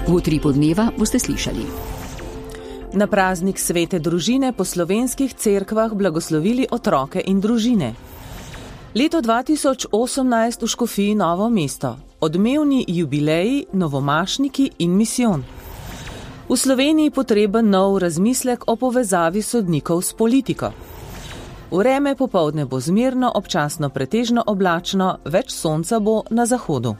V Utripu dneva boste slišali. Na praznik svete družine po slovenskih cerkvah blagoslovili otroke in družine. Leto 2018 v Škofiji Novo mesto. Odmevni jubileji, novomašniki in misijon. V Sloveniji potreben nov razmislek o povezavi sodnikov s politiko. Vreme popoldne bo zmerno, občasno pretežno oblačno, več sonca bo na zahodu.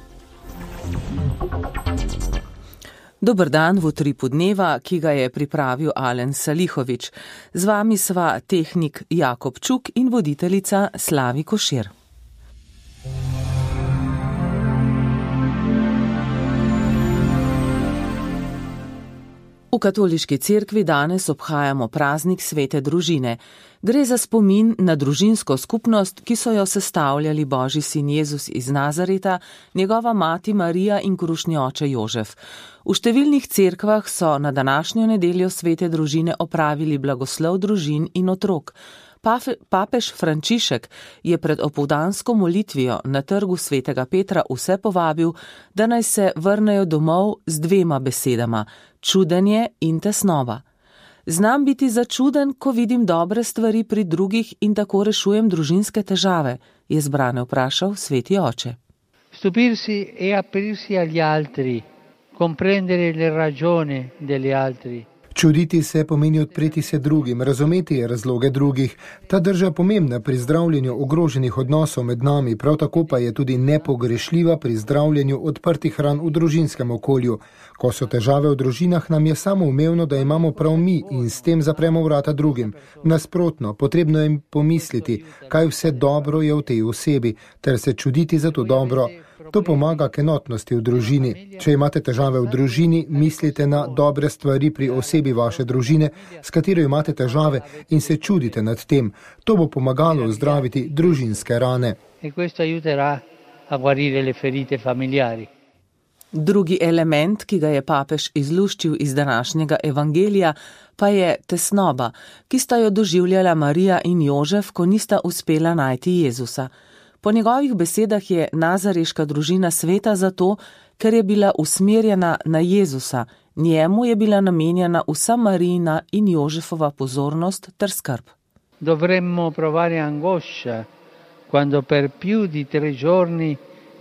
Dober dan v Utripu dneva, ki ga je pripravil Alen Salihovič. Z vami sva tehnik Jakob Čuk in voditeljica Slavi Košir. V katoliški cerkvi danes obhajamo praznik svete družine. Gre za spomin na družinsko skupnost, ki so jo sestavljali Božji sin Jezus iz Nazareta, njegova mati Marija in krušni oče Jožef. V številnih cerkvah so na današnjo nedeljo svete družine opravili blagoslov družin in otrok. Papež Frančišek je pred opoldansko molitvijo na trgu svetega Petra vse povabil, da naj se vrnejo domov z dvema besedama: čudenje in tesnoba. Znam biti začuden, ko vidim dobre stvari pri drugih in tako rešujem družinske težave, je zbrane vprašal sveti oče. Stupirsi e aprirsi agli altri, comprendere le ragioni degli altri. Čuditi se pomeni odpreti se drugim, razumeti razloge drugih. Ta drža pomembna pri zdravljenju ogroženih odnosov med nami, prav tako pa je tudi nepogrešljiva pri zdravljenju odprtih ran v družinskem okolju. Ko so težave v družinah, nam je samoumevno, da imamo prav mi in s tem zapremo vrata drugim. Nasprotno, potrebno je pomisliti, kaj vse dobro je v tej osebi, ter se čuditi za to dobro. To pomaga k enotnosti v družini. Če imate težave v družini, mislite na dobre stvari pri osebi vaše družine, s katero imate težave, in se čudite nad tem. To bo pomagalo ozdraviti družinske rane. Drugi element, ki ga je papež izluščil iz današnjega evangelija, pa je tesnoba, ki sta jo doživljala Marija in Jožef, ko nista uspela najti Jezusa. Po njegovih besedah je nazareška družina sveta zato, ker je bila usmerjena na Jezusa, njemu je bila namenjena vsa Marijina in Jožefova pozornost ter skrb. Dovremmo provare angoscia quando per più di 3 giorni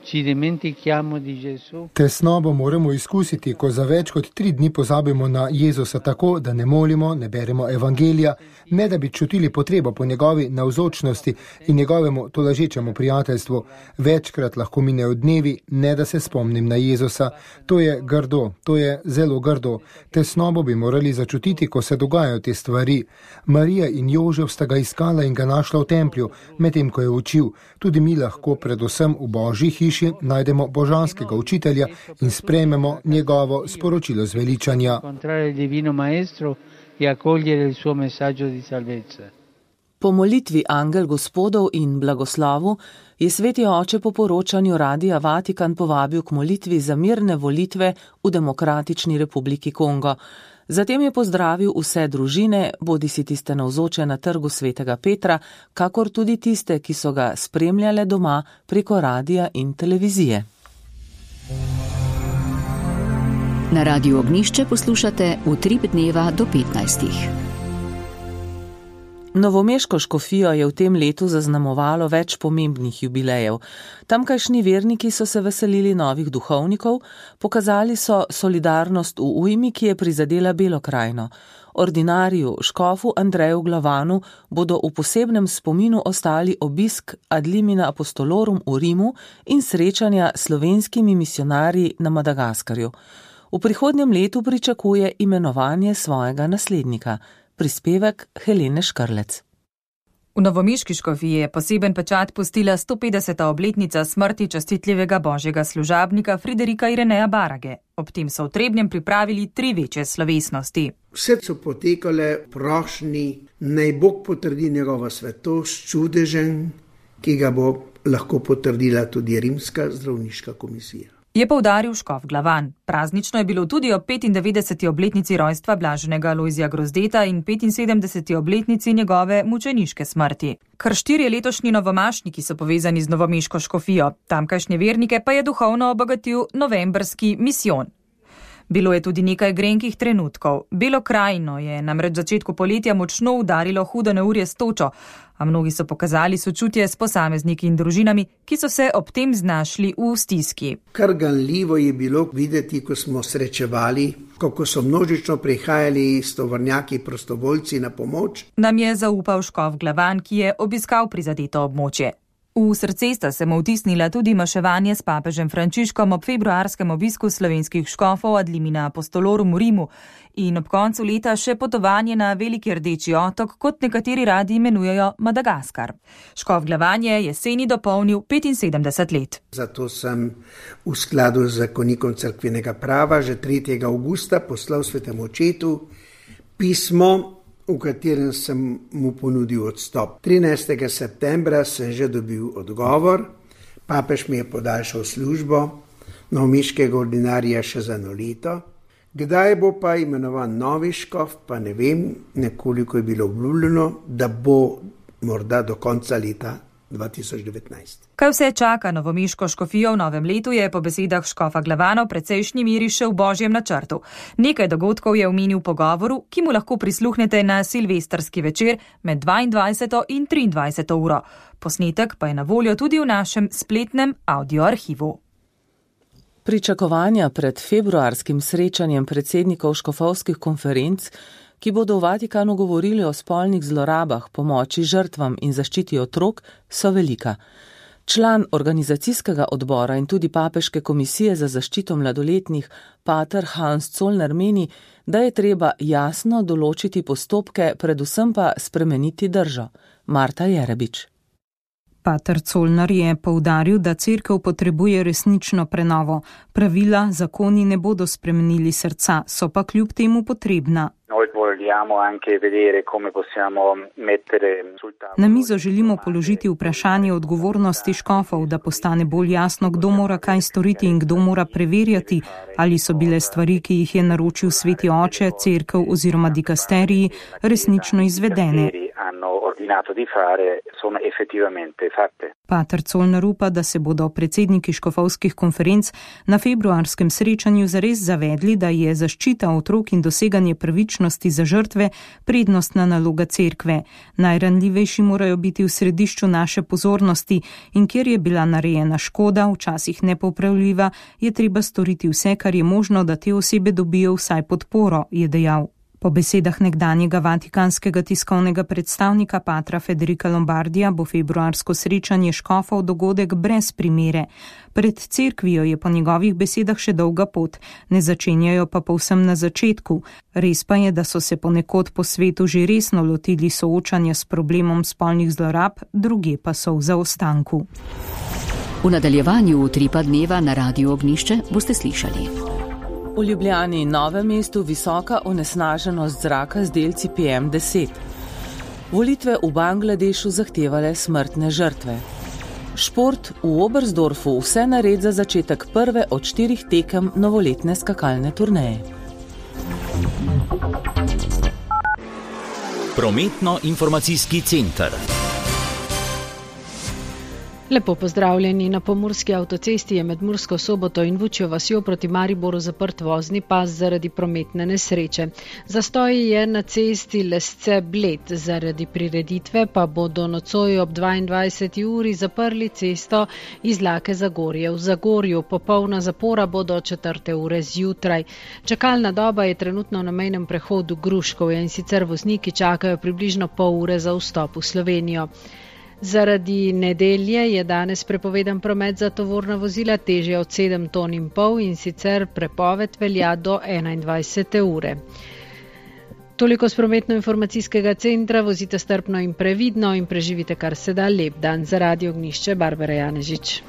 ci dimentichiamo di Gesù. Tesnobo moramo izkusiti, ko za več kot 3 dni pozabimo na Jezusa tako, da ne molimo, ne beremo evangelija, ne da bi čutili potrebo po njegovi navzočnosti in njegovemu tolažečemu prijateljstvu. Večkrat lahko minejo dnevi, ne da se spomnim na Jezusa. To je grdo, to je zelo grdo. Tesnobo bi morali začutiti, ko se dogajajo te stvari. Marija in Jožef sta ga iskala in ga našla v templju, medtem ko je učil. Tudi mi lahko predvsem v Božji hiši najdemo božanskega učitelja in sprejmemo njegovo sporočilo zveličanja. Po molitvi Angel Gospodov in blagoslovu je sveti oče po poročanju Radia Vatikan povabil k molitvi za mirne volitve v Demokratični republiki Kongo. Zatem je pozdravil vse družine, bodisi tiste navzoče na trgu svetega Petra, kakor tudi tiste, ki so ga spremljale doma preko radija in televizije. Na Radiu Ognjišče poslušate Utrip dneva do 15. Novomeško škofijo je v tem letu zaznamovalo več pomembnih jubilejev. Tamkajšnji verniki so se veselili novih duhovnikov, pokazali so solidarnost v ujmi, ki je prizadela Belo krajino. Ordinariju škofu Andreju Glavanu bodo v posebnem spominu ostali obisk Ad limina apostolorum v Rimu in srečanja s slovenskimi misionarji na Madagaskarju. V prihodnjem letu pričakuje imenovanje svojega naslednika. Prispevek Helene Škrlec. V novomeški škofiji je poseben pečat pustila 150. obletnica smrti častitljivega božjega služabnika Friderika Ireneja Barage. Ob tem so v Trebnjem pripravili 3 večje slovesnosti. Vse so potekale prošnji, naj Bog potrdi njegovo svetost, čudežen, ki ga bo lahko potrdila tudi Rimska zdravniška komisija. Je poudaril škof Glavan. Praznično je bilo tudi ob 95. obletnici rojstva blaženega Alojzija Grozdeta in 75. obletnici njegove mučeniške smrti. Kar 4 letošnji novomašniki so povezani z novomeško škofijo, tamkajšnje vernike pa je duhovno obogatil novembrski misijon. Bilo je tudi nekaj grenkih trenutkov. Belo krajino je namreč začetku poletja močno udarilo hudo neurje s točo, a mnogi so pokazali sočutje s posamezniki in družinami, ki so se ob tem znašli v stiski. Kar ganljivo je bilo videti, ko smo srečevali, kako so množično prihajali s tovornjaki prostovoljci na pomoč. Nam je zaupal škof Glavan, ki je obiskal prizadeto območje. V srce sta se mu vtisnila tudi maševanje s papežem Frančiškom ob februarskem obisku slovenskih škofov ad limina apostolorum v Rimu in ob koncu leta še potovanje na Veliki Rdeči otok, kot nekateri radi imenujejo Madagaskar. Škof Glavan je jeseni dopolnil 75 let. Zato sem v skladu z zakonikom cerkvenega prava že 3. avgusta poslal svetemu očetu pismo, v katerem sem mu ponudil odstop. 13. septembra sem že dobil odgovor, papež mi je podaljšal službo novomeškega ordinarija še za 1 leto. Kdaj bo pa imenovan novi škof, pa ne vem, nekoliko je bilo obljubljeno, da bo morda do konca leta 2019. Kaj vse čaka novomeško škofijo v novem letu, je po besedah škofa Glavana v precejšnji meri še v božjem načrtu. Nekaj dogodkov je omenil v pogovoru, ki mu lahko prisluhnete na silvestrski večer med 22. in 23. uro. Posnetek pa je na voljo tudi v našem spletnem audioarhivu. Pričakovanja pred februarskim srečanjem predsednikov škofovskih konferenc, ki bodo v Vatikanu govorili o spolnih zlorabah, pomoči žrtvam in zaščiti otrok, so velika. Član organizacijskega odbora in tudi papeške komisije za zaščito mladoletnih, pater Hans Zollner meni, da je treba jasno določiti postopke, predvsem pa spremeniti držo. Marta Jerebič. Pater Zollner je poudaril, da cerkev potrebuje resnično prenovo. Pravila, zakoni ne bodo spremenili srca, so pa kljub temu potrebna. Na mizo želimo položiti vprašanje odgovornosti škofov, da postane bolj jasno, kdo mora kaj storiti in kdo mora preverjati, ali so bile stvari, ki jih je naročil sveti oče, cerkev oziroma dikasteriji, resnično izvedene. Pater Zollner upa, da se bodo predsedniki škofovskih konferenc na februarskem srečanju zares zavedli, da je zaščita otrok in doseganje pravičnosti za žrtve prednostna naloga cerkve. Najranljivejši morajo biti v središču naše pozornosti in kjer je bila narejena škoda, včasih nepopravljiva, je treba storiti vse, kar je možno, da te osebe dobijo vsaj podporo, je dejal. Po besedah nekdanjega vatikanskega tiskovnega predstavnika patra Federica Lombardija bo februarsko srečanje škofov dogodek brez primere. Pred cerkvijo je po njegovih besedah še dolga pot, ne začenjajo pa povsem na začetku. Res pa je, da so se ponekod po svetu že resno lotili soočanja s problemom spolnih zlorab, druge pa so v zaostanku. V nadaljevanju Utripa dneva na Radiu Ognjišče boste slišali. V Ljubljani in Novem mestu visoka onesnaženost zraka z delci PM10. Volitve v Bangladešu zahtevale smrtne žrtve. Šport v Oberstdorfu vse nared za začetek prve od 4 tekem novoletne skakalne turneje. Prometno-informacijski center. Lepo pozdravljeni. Na pomurski avtocesti je med Mursko Soboto in Vučjo vasjo proti Mariboru zaprt vozni pas zaradi prometne nesreče. Zastoj je na cesti Lesce-Bled, zaradi prireditve pa bodo nocoj ob 22. uri zaprli cesto iz Lake Zagorje. V Zagorju popolna zapora bo do 4. ure zjutraj. Čakalna doba je trenutno na mejnem prehodu Gruškovje in sicer vozniki čakajo približno pol ure za vstop v Slovenijo. Zaradi nedelje je danes prepovedan promet za tovorna vozila težja od 7,5 ton in sicer prepoved velja do 21. ure. Toliko z prometno-informacijskega centra, vozite strpno in previdno in preživite kar se da lep dan. Za Radio Ognjišče, Barbara Janežič.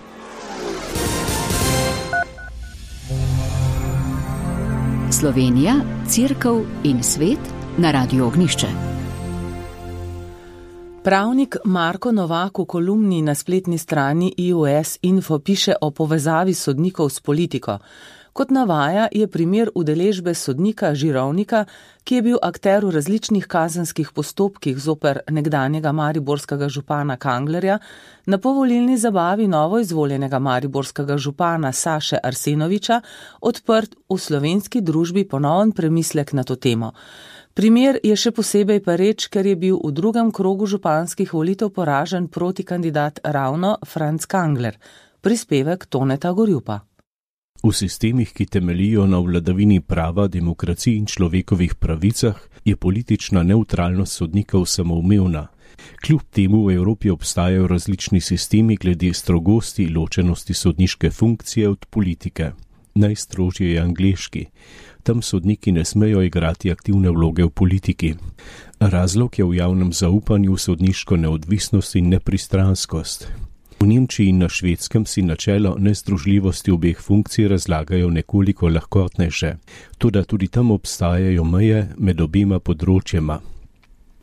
Slovenija, cerkev in svet na Radiu Ognjišče. Pravnik Marko Novak v kolumni na spletni strani IOS Info piše o povezavi sodnikov s politiko. Kot navaja, je primer udeležbe sodnika Žirovnika, ki je bil akter v različnih kazenskih postopkih zoper nekdanjega mariborskega župana Kanglerja, na povolilni zabavi novoizvoljenega mariborskega župana Saše Arsenoviča odprt v slovenski družbi ponoven premislek na to temo. Primer je še posebej pereč, ker je bil v drugem krogu županskih volitev poražen protikandidat ravno Franc Kangler. Prispevek Toneta Gorjupa. V sistemih, ki temeljijo na vladavini prava, demokraciji in človekovih pravicah, je politična nevtralnost sodnikov samoumevna. Kljub temu v Evropi obstajajo različni sistemi glede strogosti ločenosti sodniške funkcije od politike. Najstrožji je angleški. Tam sodniki ne smejo igrati aktivne vloge v politiki. Razlog je v javnem zaupanju v sodniško neodvisnost in nepristranskost. V Nemčiji in na Švedskem si načelo nezdružljivosti obeh funkcij razlagajo nekoliko lahkotnejše, toda tudi tam obstajajo meje med obema področjema.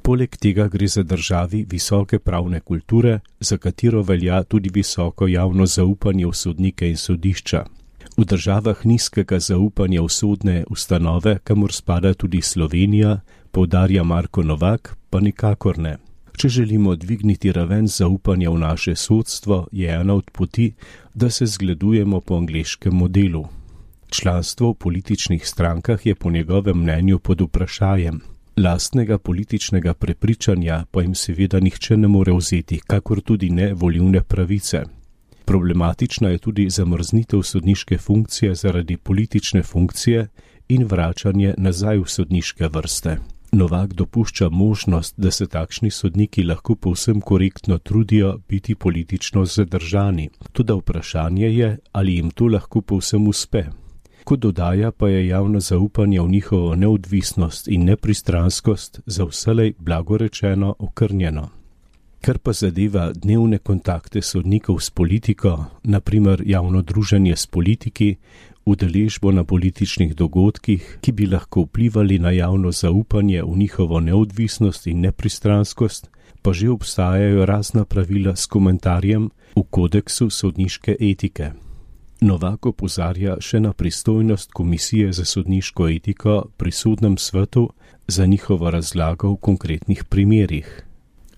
Poleg tega gre za državi visoke pravne kulture, za katero velja tudi visoko javno zaupanje v sodnike in sodišča. V državah nizkega zaupanja v sodne ustanove, kamor spada tudi Slovenija, poudarja Marko Novak, pa nikakor ne. Če želimo dvigniti raven zaupanja v naše sodstvo, je ena od poti, da se zgledujemo po angleškem modelu. Članstvo v političnih strankah je po njegovem mnenju pod vprašajem. Lastnega političnega prepričanja pa jim seveda nihče ne more vzeti, kakor tudi ne volilne pravice. Problematična je tudi zamrznitev sodniške funkcije zaradi politične funkcije in vračanje nazaj v sodniške vrste. Novak dopušča možnost, da se takšni sodniki lahko povsem korektno trudijo biti politično zadržani. Toda vprašanje je, ali jim to lahko povsem uspe. Kot dodaja, pa je javno zaupanje v njihovo neodvisnost in nepristranskost za vselej blagorečeno okrnjeno. Kar pa zadeva dnevne kontakte sodnikov s politiko, naprimer javno druženje s politiki, udeležbo na političnih dogodkih, ki bi lahko vplivali na javno zaupanje v njihovo neodvisnost in nepristranskost, pa že obstajajo razna pravila s komentarjem v kodeksu sodniške etike. Novak opozarja še na pristojnost Komisije za sodniško etiko pri sodnem svetu za njihovo razlago v konkretnih primerih.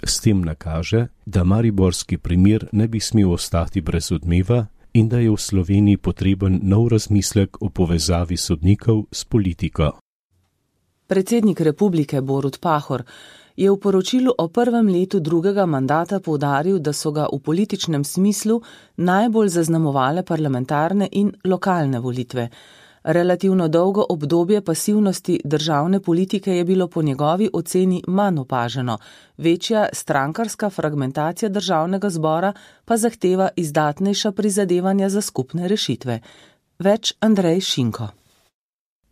S tem nakaže, da mariborski primer ne bi smel ostati brez odmeva in da je v Sloveniji potreben nov razmislek o povezavi sodnikov s politiko. Predsednik republike Borut Pahor je v poročilu o prvem letu drugega mandata poudaril, da so ga v političnem smislu najbolj zaznamovale parlamentarne in lokalne volitve. Relativno dolgo obdobje pasivnosti državne politike je bilo po njegovi oceni manj opaženo, večja strankarska fragmentacija državnega zbora pa zahteva izdatnejša prizadevanja za skupne rešitve. Več Andrej Šinko.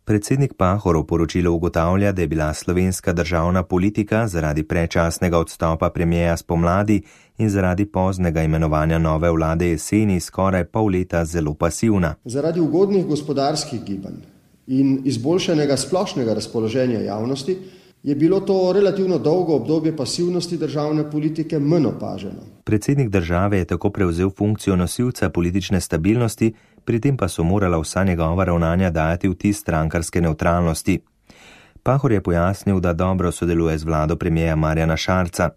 Predsednik Pahor v poročilu ugotavlja, da je bila slovenska državna politika zaradi predčasnega odstopa premierja spomladi in zaradi poznega imenovanja nove vlade jeseni skoraj pol leta zelo pasivna. Zaradi ugodnih gospodarskih gibanj in izboljšanega splošnega razpoloženja javnosti je bilo to relativno dolgo obdobje pasivnosti državne politike manj opaženo. Predsednik države je tako prevzel funkcijo nosilca politične stabilnosti, pri tem pa so morala vsa njegova ravnanja dajati vtis strankarske nevtralnosti. Pahor je pojasnil, da dobro sodeluje z vlado premierja Marjana Šarca.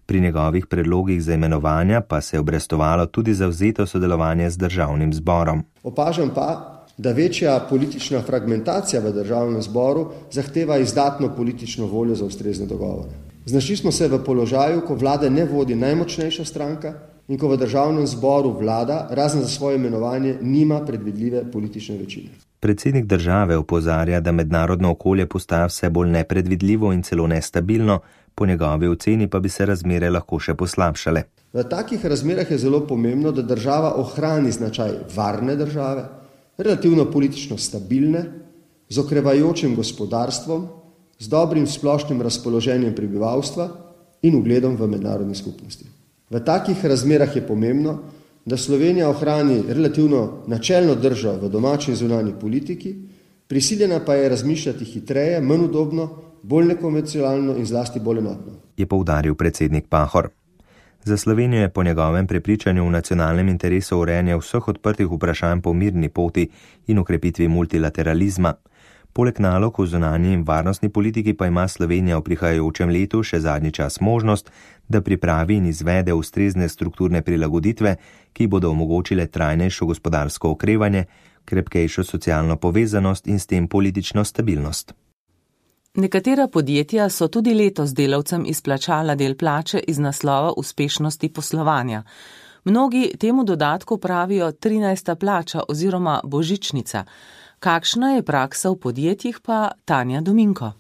Pri njegovih predlogih za imenovanja pa se je obrestovalo tudi zavzeto sodelovanje z državnim zborom. Opažam pa, da večja politična fragmentacija v državnem zboru zahteva izdatno politično voljo za ustrezne dogovore. Znašli smo se v položaju, ko vlade ne vodi najmočnejša stranka in ko v državnem zboru vlada, razen za svoje imenovanje, nima predvidljive politične večine. Predsednik države opozarja, da mednarodno okolje postaja vse bolj nepredvidljivo in celo nestabilno, po njegovi oceni pa bi se razmere lahko še poslabšale. V takih razmerah je zelo pomembno, da država ohrani značaj varne države, relativno politično stabilne, z okrevajočim gospodarstvom, z dobrim splošnim razpoloženjem prebivalstva in ugledom v mednarodni skupnosti. V takih razmerah je pomembno, da Slovenija ohrani relativno načelno držo v domači in zunanji politiki, prisiljena pa je razmišljati hitreje, manj udobno, bolj nekonvencionalno in zlasti bolj enotno. Je poudaril predsednik Pahor. Za Slovenijo je po njegovem prepričanju v nacionalnem interesu urejanje vseh odprtih vprašanj po mirni poti in ukrepitvi multilateralizma. Poleg nalog v zunanji in varnostni politiki pa ima Slovenija v prihajajočem letu še zadnji čas možnost, da pripravi in izvede ustrezne strukturne prilagoditve, ki bodo omogočile trajnejšo gospodarsko okrevanje, krepkejšo socialno povezanost in s tem politično stabilnost. Nekatera podjetja so tudi letos delavcem izplačala del plače iz naslova uspešnosti poslovanja. Mnogi temu dodatku pravijo 13. plača oziroma božičnica. Kakšna je praksa v podjetjih, pa Tanja Dominko.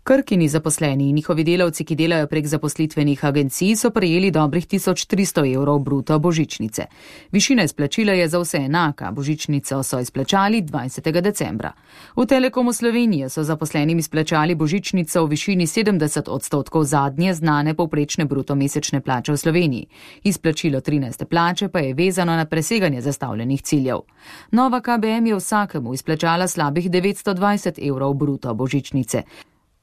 Krkini zaposleni in njihovi delavci, ki delajo prek zaposlitvenih agencij, so prejeli dobrih 1300 evrov bruto božičnice. Višina izplačila je za vse enaka, božičnico so izplačali 20. decembra. V Telekomu Slovenije so zaposlenim izplačali božičnico v višini 70% zadnje znane povprečne bruto mesečne plače v Sloveniji. Izplačilo 13. plače pa je vezano na preseganje zastavljenih ciljev. Nova KBM je vsakemu izplačala slabih 920 evrov bruto božičnice.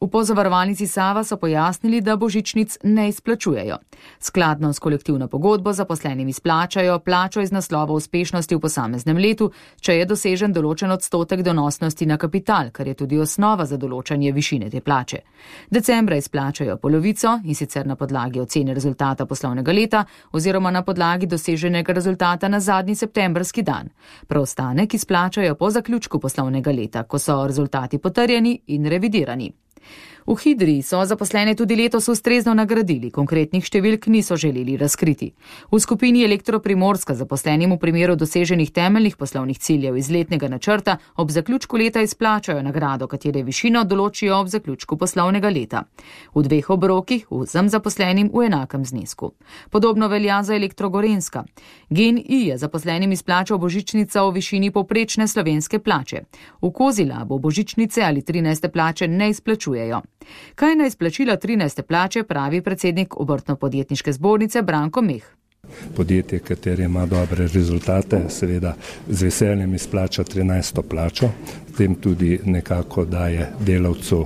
V Pozavarovalnici Sava so pojasnili, da božičnic ne izplačujejo. Skladno s kolektivno pogodbo zaposlenim izplačajo plačo iz naslova uspešnosti v posameznem letu, če je dosežen določen odstotek donosnosti na kapital, kar je tudi osnova za določanje višine te plače. Decembra izplačajo polovico, in sicer na podlagi ocene rezultata poslovnega leta oziroma na podlagi doseženega rezultata na zadnji septembrski dan. Preostanek izplačajo po zaključku poslovnega leta, ko so rezultati potrjeni in revidirani. V Hidriji so zaposlene tudi letos ustrezno nagradili, konkretnih številk niso želeli razkriti. V skupini Elektroprimorska zaposlenim v primeru doseženih temeljnih poslovnih ciljev iz letnega načrta ob zaključku leta izplačajo nagrado, katere višino določijo ob zaključku poslovnega leta. V dveh obrokih vsem zaposlenim v enakem znesku. Podobno velja za Elektrogorenska. GEN-I je zaposlenim izplačal božičnica v višini povprečne slovenske plače. V Kozilabu božičnice ali 13. plače ne izplačujejo. Kaj na izplačila 13. plače pravi predsednik Obrtno-podjetniške zbornice Branko Meh. Podjetje, katere ima dobre rezultate, seveda z veseljem izplača 13. plačo, tem tudi nekako daje delavcu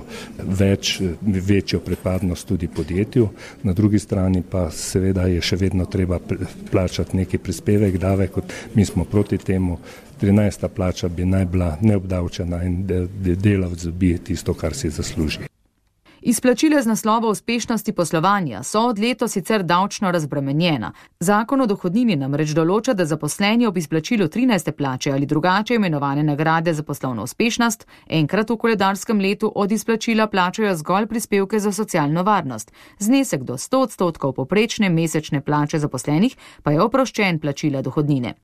večjo pripadnost tudi podjetju. Na drugi strani pa seveda je še vedno treba plačati neki prispevek, davek, mi smo proti temu. 13. plača bi naj bila neobdavčena in delavec dobi tisto, kar si zasluži. Izplačila z naslova uspešnosti poslovanja so od letos sicer davčno razbremenjena. Zakon o dohodnini namreč določa, da zaposleni ob izplačilu 13. plače ali drugače imenovane nagrade za poslovno uspešnost enkrat v koledarskem letu od izplačila plačajo zgolj prispevke za socialno varnost. Znesek do 100% povprečne mesečne plače zaposlenih pa je oproščen plačila dohodnine.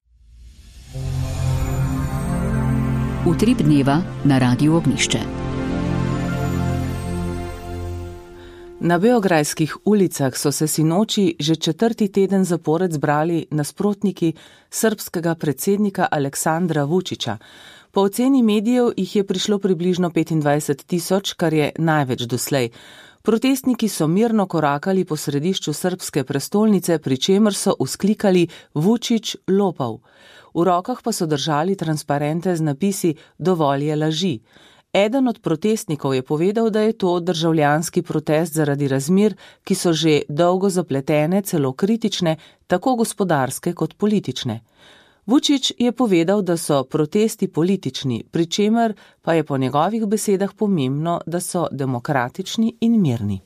Utrip dneva na Radiu Ognjišče. Na beograjskih ulicah so se sinoči že 4. teden zapored zbrali nasprotniki srbskega predsednika Aleksandra Vučića. Po oceni medijev jih je prišlo približno 25.000, kar je največ doslej. Protestniki so mirno korakali po središču srbske prestolnice, pri čemer so vzklikali Vučić lopov. V rokah pa so držali transparente z napisi Dovolj je laži. Eden od protestnikov je povedal, da je to državljanski protest zaradi razmer, ki so že dolgo zapletene, celo kritične, tako gospodarske kot politične. Vučić je povedal, da so protesti politični, pri čemer pa je po njegovih besedah pomembno, da so demokratični in mirni.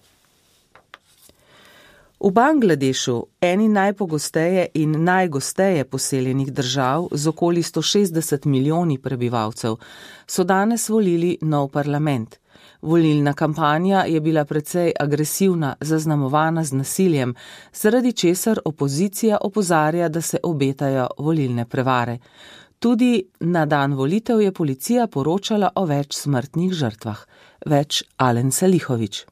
V Bangladešu, eni najpogosteje in najgosteje poseljenih držav z okoli 160 milijoni prebivalcev, so danes volili nov parlament. Volilna kampanja je bila precej agresivna, zaznamovana z nasiljem, zaradi česar opozicija opozarja, da se obetajo volilne prevare. Tudi na dan volitev je policija poročala o več smrtnih žrtvah. Več Alen Salihović.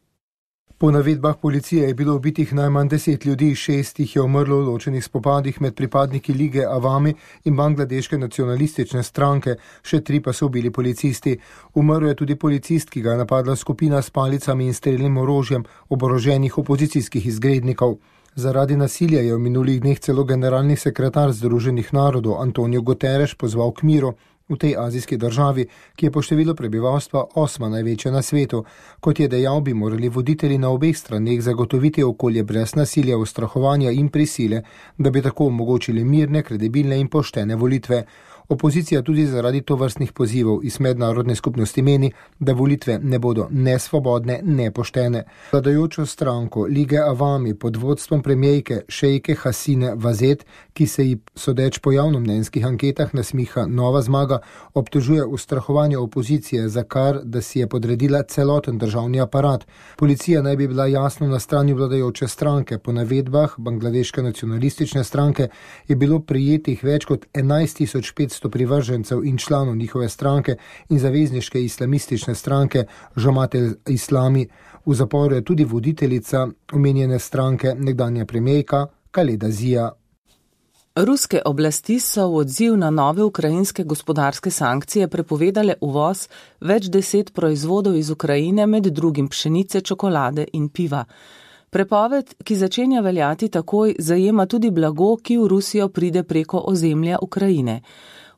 Po navedbah policije je bilo ubitih najmanj 10 ljudi, 6 jih je umrlo v ločenih spopadih med pripadniki Lige Awami in bangladeške nacionalistične stranke, še 3 pa so ubili policisti. Umrl je tudi policist, ki ga je napadla skupina s palicami in strelnim orožjem oboroženih opozicijskih izgrednikov. Zaradi nasilja je v minulih dneh celo generalni sekretar Združenih narodov Antonio Guterres pozval k miru v tej azijski državi, ki je po številu prebivalstva 8. največja na svetu. Kot je dejal, bi morali voditelji na obeh straneh zagotoviti okolje brez nasilja, ustrahovanja in prisile, da bi tako omogočili mirne, kredibilne in poštene volitve. Opozicija tudi zaradi tovrstnih pozivov iz mednarodne skupnosti meni, da volitve ne bodo ne svobodne, ne poštene. Vladajočo stranko Lige Avami pod vodstvom premijejke Šejke Hasine Vazet, ki se ji sodeč po javnomnenjskih anketah nasmiha nova zmaga, obtožuje ustrahovanje opozicije, za kar, da si je podredila celoten državni aparat. Policija naj bi bila jasno na strani vladajoče stranke. Po navedbah Bangladeške nacionalistične stranke je bilo prijetih več kot 11.500 privržencev in članov njihove stranke in zavezniške islamistične stranke Jamaat al-Islami. V zaporu je tudi voditeljica omenjene stranke, nekdanja premijejka Khaleda Zia. Ruske oblasti so v odziv na nove ukrajinske gospodarske sankcije prepovedale uvoz več 10 proizvodov iz Ukrajine, med drugim pšenice, čokolade in piva. Prepoved, ki začenja veljati takoj, zajema tudi blago, ki v Rusijo pride preko ozemlja Ukrajine.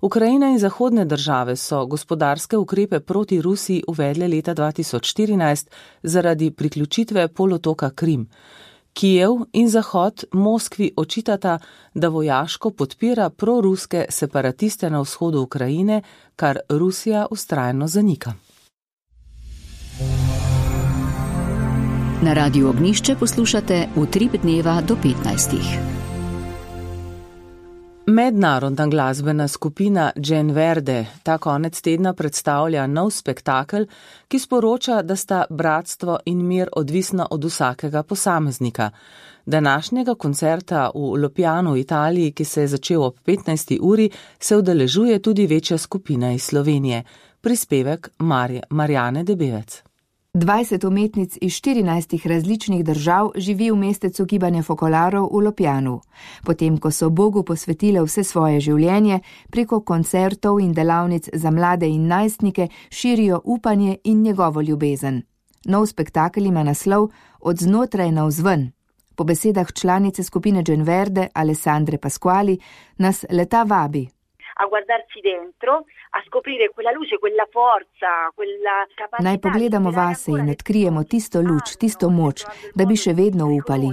Ukrajina in zahodne države so gospodarske ukrepe proti Rusiji uvedle leta 2014 zaradi priključitve polotoka Krim. Kijev in Zahod Moskvi očitata, da vojaško podpira proruske separatiste na vzhodu Ukrajine, kar Rusija vztrajno zanika. Na Radiu Ognjišče poslušate Utrip dneva do 15. Mednarodna glasbena skupina Džen Verde ta konec tedna predstavlja nov spektakel, ki sporoča, da sta bratstvo in mir odvisna od vsakega posameznika. Današnjega koncerta v Lopjanu v Italiji, ki se je začel ob 15. uri, se udeležuje tudi večja skupina iz Slovenije. Prispevek Marjane Debevec. 20 umetnic iz 14 različnih držav živi v mestecu gibanja fokolarov v Lopjanu. Potem, ko so Bogu posvetile vse svoje življenje, preko koncertov in delavnic za mlade in najstnike širijo upanje in njegovo ljubezen. Nov spektakel ima naslov Od znotraj navzven. Po besedah članice skupine Džen Verde, Alessandre Pasquali, nas leta vabi a guardarsi dentro, a scoprire quella luce, quella forza, quella capacità. Naj pogledamo vase in odkrijemo tisto luč, tisto moč, da bi še vedno upali.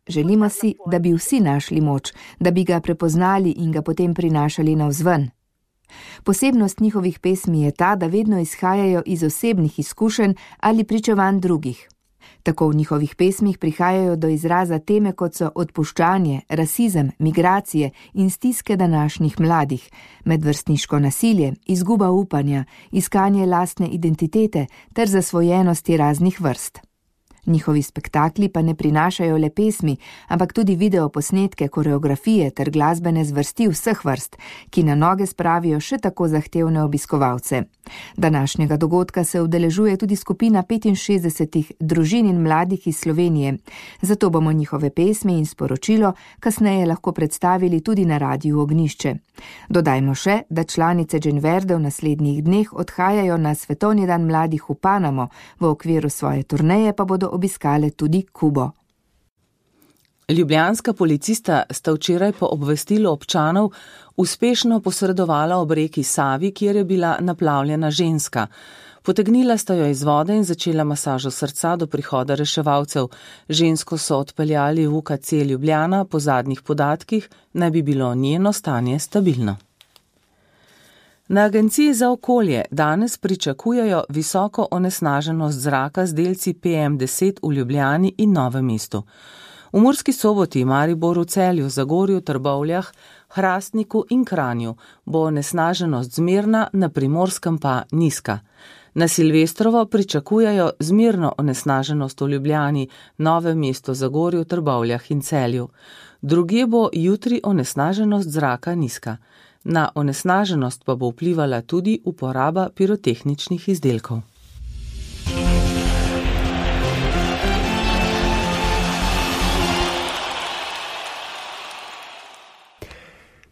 Želimo si, da bi vsi našli moč, da bi ga prepoznali in ga potem prinašali navzven. Posebnost njihovih pesmi je ta, da vedno izhajajo iz osebnih izkušenj ali pričevanj drugih. Tako v njihovih pesmih prihajajo do izraza teme, kot so odpuščanje, rasizem, migracije in stiske današnjih mladih, medvrstniško nasilje, izguba upanja, iskanje lastne identitete ter zasvojenosti raznih vrst. Njihovi spektakli pa ne prinašajo le pesmi, ampak tudi videoposnetke, koreografije ter glasbene zvrsti vseh vrst, ki na noge spravijo še tako zahtevne obiskovalce. Današnjega dogodka se udeležuje tudi skupina 65 družin in mladih iz Slovenije, zato bomo njihove pesmi in sporočilo kasneje lahko predstavili tudi na Radiu Ognjišče. Dodajmo še, da članice Džen Verde v naslednjih dneh odhajajo na Svetovni dan mladih v Panamo, v okviru svoje turneje pa bodo obiskale tudi Kubo. Ljubljanska policista sta včeraj po obvestilu občanov uspešno posredovala ob reki Savi, kjer je bila naplavljena ženska. Potegnila sta jo iz vode in začela masažo srca do prihoda reševalcev. Žensko so odpeljali v UKC Ljubljana, po zadnjih podatkih naj bi bilo njeno stanje stabilno. Na Agenciji za okolje danes pričakujejo visoko onesnaženost zraka z delci PM10 v Ljubljani in Novem mestu. V Murski Soboti, Mariboru, Celju, Zagorju, Trbovljah, Hrastniku in Kranju bo onesnaženost zmerna, na Primorskem pa nizka. Na Silvestrovo pričakujejo zmerno onesnaženost v Ljubljani, Novem mestu, Zagorju, Trbovljah in Celju. Drugje bo jutri onesnaženost zraka nizka. Na onesnaženost pa bo vplivala tudi uporaba pirotehničnih izdelkov.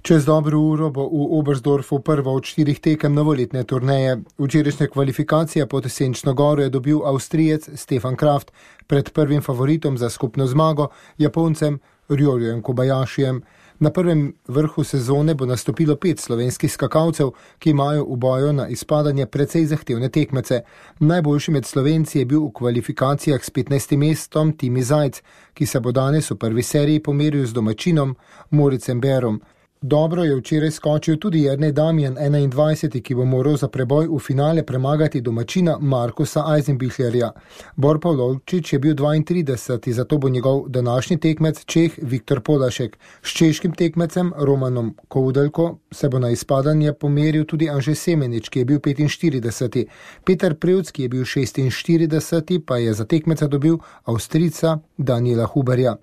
Čez dobro uro bo v Oberstdorfu prva od 4 tekem novoletne turneje. Včerajšnja kvalifikacija pod Senčno goro je dobil Avstrijec Stefan Kraft pred prvim favoritom za skupno zmago, Japoncem Ryojem Kobayashijem. Na prvem vrhu sezone bo nastopilo 5 slovenskih skakalcev, ki imajo v boju na izpadanje precej zahtevne tekmece. Najboljši med Slovenci je bil v kvalifikacijah s 15. mestom Timi Zajc, ki se bo danes v prvi seriji pomeril z domačinom Moricem Berom. Dobro je včeraj skočil tudi Jernej Damjan, 21, ki bo moral za preboj v finale premagati domačina Markusa Eisenbichlerja. Bor Pavlovčič je bil 32, zato bo njegov današnji tekmec Čeh Viktor Polašek. S češkim tekmecem Romanom Koudelko se bo na izpadanje pomeril tudi Anže Semenič, ki je bil 45. Peter Prevc, ki je bil 46, pa je za tekmeca dobil Avstrijca Daniela Huberja.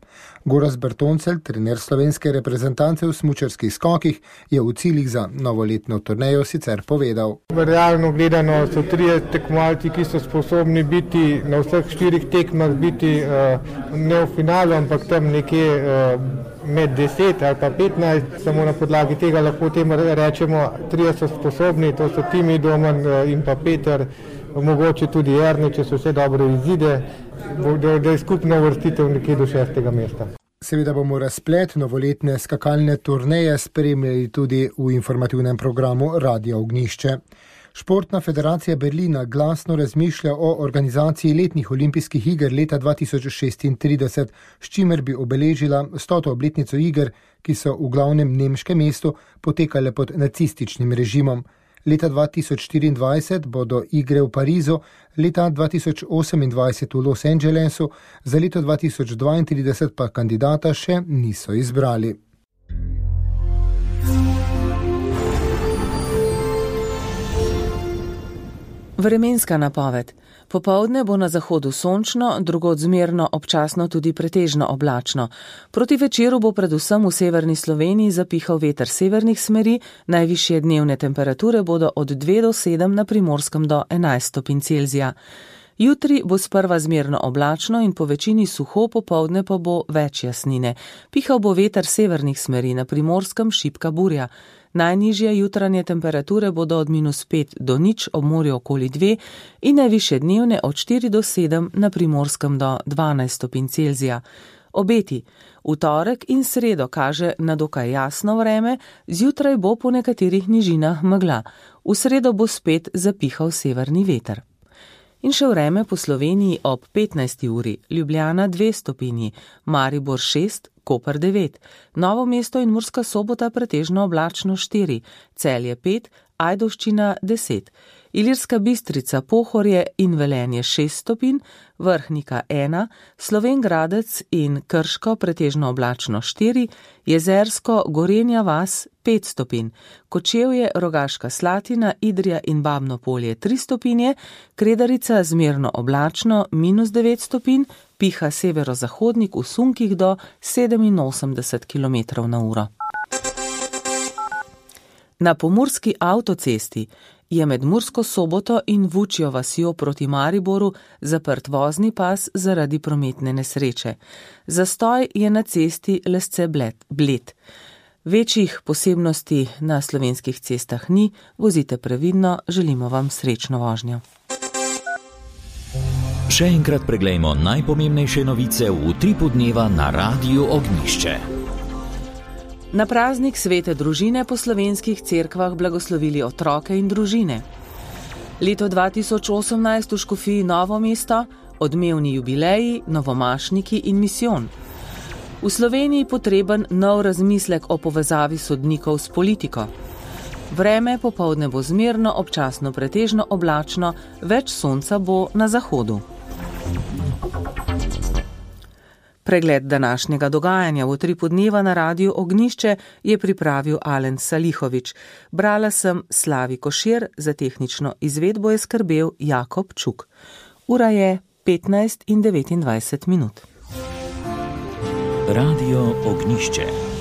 Gorazd Bertoncelj, trener slovenske reprezentance v smučarskih skokih, je v ciljih za novoletno turnejo sicer povedal. Realno gledano so 3 tekmovalci, ki so sposobni biti na vseh 4 tekmah, biti ne v finalu, ampak tam nekje med 10 ali pa 15, samo na podlagi tega lahko tem rečemo, 3 so sposobni, to so Timi, Domen in pa Peter, mogoče tudi Jernej, če so vse dobro izide, da je skupna uvrstitev nekje do 6. mesta. Seveda bomo razplet novoletne skakalne turneje spremljali tudi v informativnem programu Radia Ognjišče. Športna federacija Berlina glasno razmišlja o organizaciji letnih olimpijskih iger leta 2036, s čimer bi obeležila 100. obletnico iger, ki so v glavnem nemškem mestu potekale pod nacističnim režimom. Leta 2024 bodo igre v Parizu, leta 2028 v Los Angelesu, za leto 2032 pa kandidata še niso izbrali. Vremenska napoved. Popoldne bo na zahodu sončno, drugod zmerno, občasno tudi pretežno oblačno. Proti večeru bo predvsem v severni Sloveniji zapihal veter severnih smeri, najvišje dnevne temperature bodo od 2 do 7, na Primorskem do 11 stopinj Celzija. Jutri bo sprva zmerno oblačno in po večini suho, popoldne pa bo več jasnine. Pihal bo veter severnih smeri, na Primorskem šibka burja. Najnižje jutranje temperature bodo od -5 do 0, ob morju okoli 2 in najvišje dnevne od 4 do 7, na Primorskem do 12 stopinj Celzija. Obeti. V torek in sredo kaže na dokaj jasno vreme, zjutraj bo po nekaterih nižinah megla. V sredo bo spet zapihal severni veter. In še vreme po Sloveniji ob 15. uri, Ljubljana 2 stopinji, Maribor 6, Koper 9, Novo mesto in Murska Sobota pretežno oblačno 4, Celje 5, Ajdovščina 10, Ilirska Bistrica, Pohorje in Velenje 6 stopinj, Vrhnika 1, Slovenj Gradec in Krško pretežno oblačno 4, Jezersko, Gorenja vas 5 stopinj, Kočevje, Rogaška Slatina, Idrija in Babno Polje 3 stopinje, Kredarica zmerno oblačno -9 stopinj, piha severozahodnik v sunkih do 87 km/h. Na pomurski avtocesti je med Mursko Soboto in Vučjo vasjo proti Mariboru zaprt vozni pas zaradi prometne nesreče. Zastoj je na cesti Lesce-Bled. Večjih posebnosti na slovenskih cestah ni, vozite previdno, želimo vam srečno vožnjo. Še enkrat preglejmo najpomembnejše novice v Utripu dneva na Radiu Ognjišče. Na praznik svete družine po slovenskih cerkvah blagoslovili otroke in družine. Leto 2018 v Škofiji Novo mesto, odmevni jubileji, novomašniki in misijon. V Sloveniji potreben nov razmislek o povezavi sodnikov s politiko. Vreme popoldne bo zmerno, občasno pretežno oblačno, več sonca bo na zahodu. Pregled današnjega dogajanja v Utripu dneva na Radiu Ognjišče je pripravil Alen Salihovič. Brala sem Slavi Košir, za tehnično izvedbo je skrbel Jakob Čuk. Ura je 15:29. Radio Ognjišče.